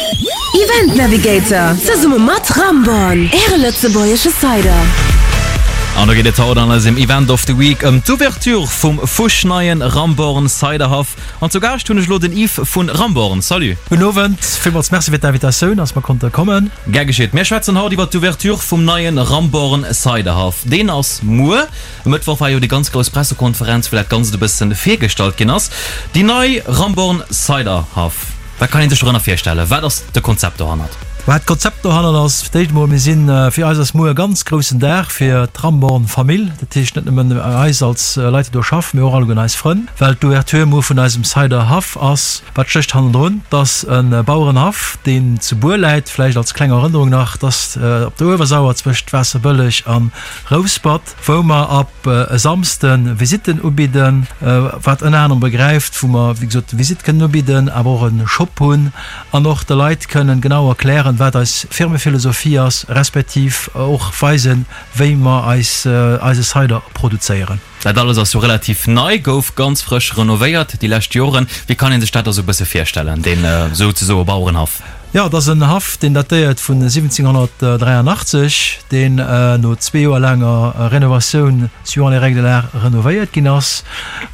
Event Navigator zesumme mat Ramborn, Äre lëtzebuergesche Cider. An do geet et haut an eisem Event of the Week ëm d'Ouverture vum fuschneien Ramborn Ciderhaff. An zu Gaascht hunn ech elo den Yves vun Ramborn. Salut! Gudden Owend, villmools Merci fir d'Invitatioun, dass mer konnte kommen. Gär geschitt. Mir schwätzen haut iwwer d'Ouverture vum neien Ramborn Ciderhaff. Deen ass muer. E Mëttwoch war jo déi ganz grouss Pressekonferenz, wou dat Ganzt e bëssen virgestallt ginn ass. Déi nei Ramborn Cider Haff, wat kann ee sech dorënner virstellen? Wat ass de Konzept dohannert? Wat d'Konzept dohannert ass, fir d'éischt emol, mir sinn, fir eis ass muer e ganz groussen Dag fir d'Ramborn Famill. Dat heescht net nëmmen eis als Leit, déi do schaffen, mee och alleguerten eis Frënn, well d'Ouverture muer vun eisem Cider Haff ass. Wat stécht hannendrun? 't ass e Bauerenhaff, deen zu Buer läit. Vläicht als kleng Erënnerung nach, 't ass op der Uewersauer zwëscht Waasserbëlleg a Rouspert. wou mer ab e Samsde Visitten ubidden, wat ënner anerem begräift, wou mer wéi gesot Visitte kënnen ubidden, awer och e Shop hunn an och de Leit kënnen genau erklären, wat eis Firmephilosophie ass, respektiv och weisen, wéi mer eis eise Cider produzéieren. Dat alles ass jo relativ nei, gouf ganz frësch renovéiert déi lescht Joren. Wéi kann ee sech dat da sou e bësse virstellen, deen souzesoe Bauerenhaff? Jo, et ass en Haff, deen datéiert vun 1783, deen no zwee Joer laanger Renovatioun suivant les règles de l'art renovéiert ginn ass,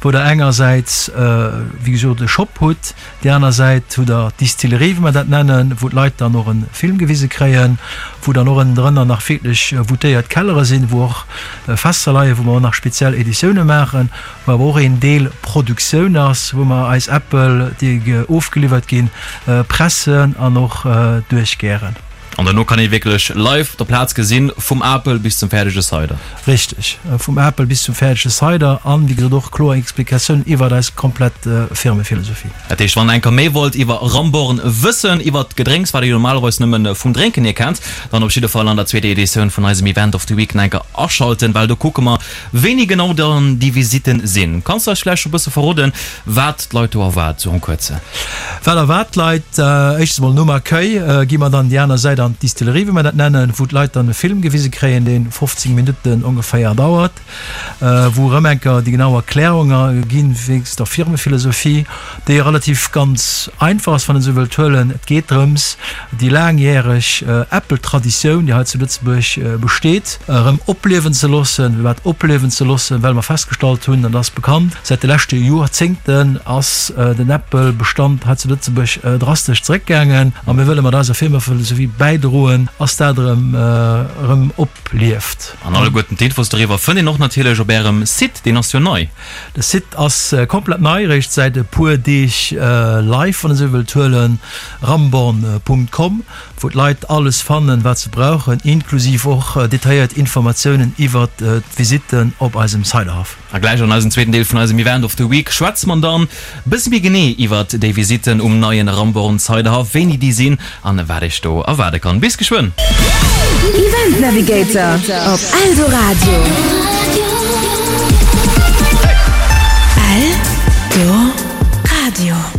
wou der engersäits, wéi gesot, e Shop hutt, déi aner Säit hutt der d'Distillerie, wéi mer dat nennen, wou d'Leit dann och e Film gewise kréien, wou dann och ënnendrënner nach wierklech voûtéiert Kellere sinn, wou och Fässer leien, wou mer och nach speziell Editioune maachen. Wou awer och een Deel Produktioun ass, wou mer eis Äppel, déi ofgeliwwert ginn, pressen an och duerchgären. An dono kann ee wierklech live op der Plaz gesinn, vum Apel bis zum fäerdege Cider. Richteg, vum Apel bis zum fäerdege Cider an, wéi gesot, och kloer Explikatiounen iwwert eis komplett Firmephilosophie. Dat heescht, wann der eng Kéier méi wollt iwwer Ramborn wëssen, iwwert d'Gedrénks, wat der jo normalerweis nëmme vum Drénken hier kennt, dann op jidde Fall an der zweeter Editioun vun eisem Event of the Week nach eng Kéier aschalten, well do kucke mer, Wéini genau dann déi Visitten sinn? Kanns du eis vläicht scho bësse verroden, wat d'Leit do erwaart, sou en kuerze? Wat erwaart d'Leit? Éischtens emol nom Accueil gi mer dann déi aner Säit an d'Distillerie, wéi mer dat nennen, wou d'Leit dann e Film gewise kréien, dee 15 Minutten ongeféier dauert, wou erëm eng Kéier déi genau Erklärunge ginn, wéinst der Firmephilosophie, déi relativ ganz einfach ass, wann een esou wëllt huelen. Et geet drëms, déi laangjäreg Äppeltraditioun, déi hei zu Lëtzebuerg besteet, erëm opliewen ze loossen. Firwat opliewen ze loossen? Well mer festgestallt hunn, an dat ass bekannt, säit de leschte Joerzéngten ass den Äppelbestand hei zu Lëtzebuerg drastesch zeréckgaangen a mir wëlle mat eiser Firmaphilosophie bäidroen, ass dat erëm erëm oplieft. An alleguerten d'Infos doriwwer fënnt een och natierlech op Ärem Site, deen ass jo nei. De Site ass komplett nei, eréischt säit e puer Deeg live, wann een esou wëllt huelen, ramborn.com, wou d'Leit alles fannen, wat se brauchen, inklusiv och detailléiert Informatiounen iwwert d'Visitten op eisem Ciderhaff. A gläich an eisem zweeten Deel vun eisem Event of the Week schwätze mer dann bësse méi genee iwwert déi Visitten um neien Ramborn Ciderhaff, wéini déi sinn an wat iech do erwaarde kann. Bis geschwënn! Event Navigator op Eldoradio. Eldoradio.